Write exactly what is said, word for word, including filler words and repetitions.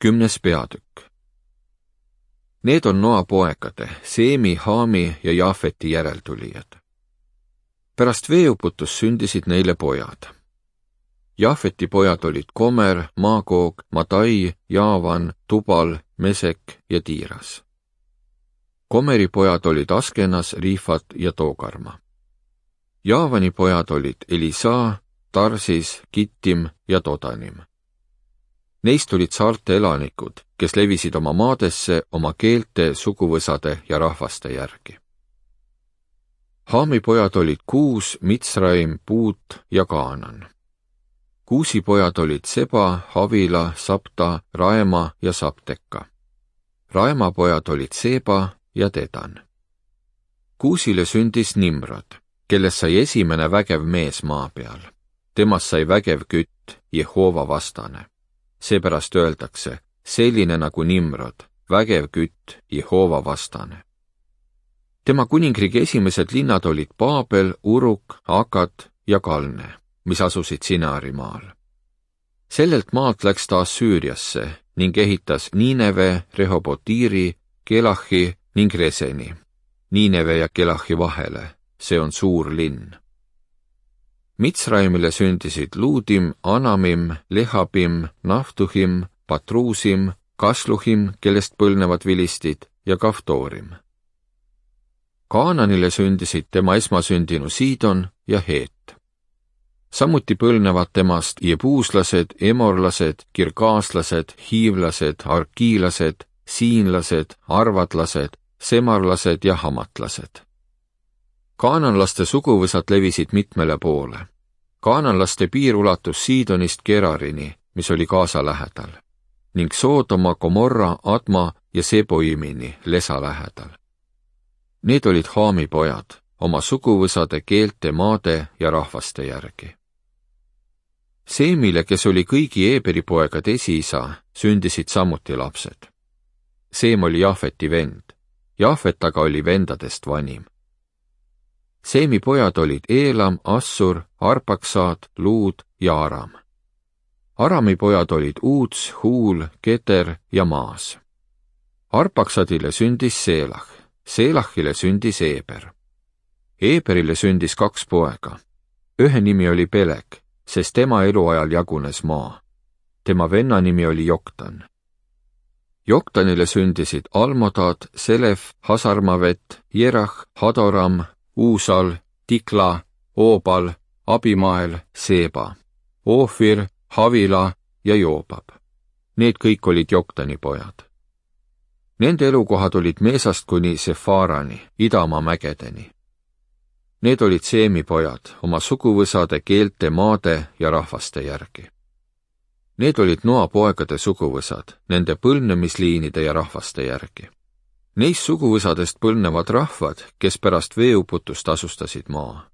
Kümnes peatükk. Need on Noa poegade, Seemi, Haami ja Jaafeti järeltulijad. Pärast veeuputust sündisid neile pojad. Jaafeti pojad olid Komer, Maagoog, Madai, Jaavan, Tubal, Mesek ja Tiiras. Komeri pojad olid Askenas, Riifat ja Toogarma. Jaavani pojad olid Elisa, Tarsis, Kittim ja Todanim. Neist olid saarte elanikud, kes levisid oma maadesse oma keelte, suguvõsade ja rahvaste järgi. Haami pojad olid Kuus, Mitsraim, Puut ja Kaanan. Kuusi pojad olid Seba, Havila, Sapta, Raema ja Sapteka. Raema pojad olid Seba ja Dedan. Kuusile sündis Nimrod, kellest sai esimene vägev mees maa peal. Temast sai vägev kütt, Jehova vastane. Seepärast öeldakse, selline nagu Nimrod, vägev kütt, Jehova vastane. Tema kuningriigi esimesed linnad olid Baabel, Uruk, Akat ja Kalne, mis asusid Sinaari maal. Sellelt maalt läks ta Assüüriasse ning ehitas Niineve, Rehobotiiri, Kelahi ning Reseni, Niineve ja Kelahi vahele, see on suur linn. Mitsraimile sündisid Luudim, Anamim, Lehabim, Naftuhim, Patruusim, Kasluhim, kellest põlnevad vilistid, ja Kaftoorim. Kaananile sündisid tema esmasündinu Siidon ja Heet. Samuti põlnevad temast jebuuslased, emorlased, kirgaaslased, hiivlased, arkiilased, siinlased, arvadlased, semarlased ja hamatlased. Kaananlaste suguvõsad levisid mitmele poole. Kaananlaste piir ulatus Siidonist Gerarini, mis oli Gaasa lähedal, ning Soodoma, Gomorra, Adma ja Seboimini Lesa lähedal. Need olid Haami pojad, oma suguvõsade, keelte, maade ja rahvaste järgi. Seemile, kes oli kõigi Eeberi poegade esiisa, sündisid samuti lapsed. Seem oli Jaafeti vend, Jaafet aga oli vendadest vanim. Seemi pojad olid Eelam, Assur, Arpaksaad, Luud ja Aram. Arami pojad olid Uuts, Huul, Keter ja Maas. Arpaksadile sündis Seelah, Seelahile sündis Eeber. Eeberile sündis kaks poega. Ühe nimi oli Peleg, sest tema eluajal jagunes maa. Tema venna nimi oli Joktan. Joktanile sündisid Almodad, Selef, Hasarmavet, Jerah, Hadoram, Uusal, Tikla, Oobal, Abimael, Seeba, Oofir, Havila ja Joobab. Need kõik olid Joktani pojad. Nende elukohad olid Meesast kuni Sefarani, idamaa mägedeni. Need olid Seemi pojad, oma suguvõsade, keelte, maade ja rahvaste järgi. Need olid Noa poegade suguvõsad, nende põlvnemisliinide ja rahvaste järgi. Neist suguvõsadest põlnevad rahvad, kes pärast veeuputust asustasid maa.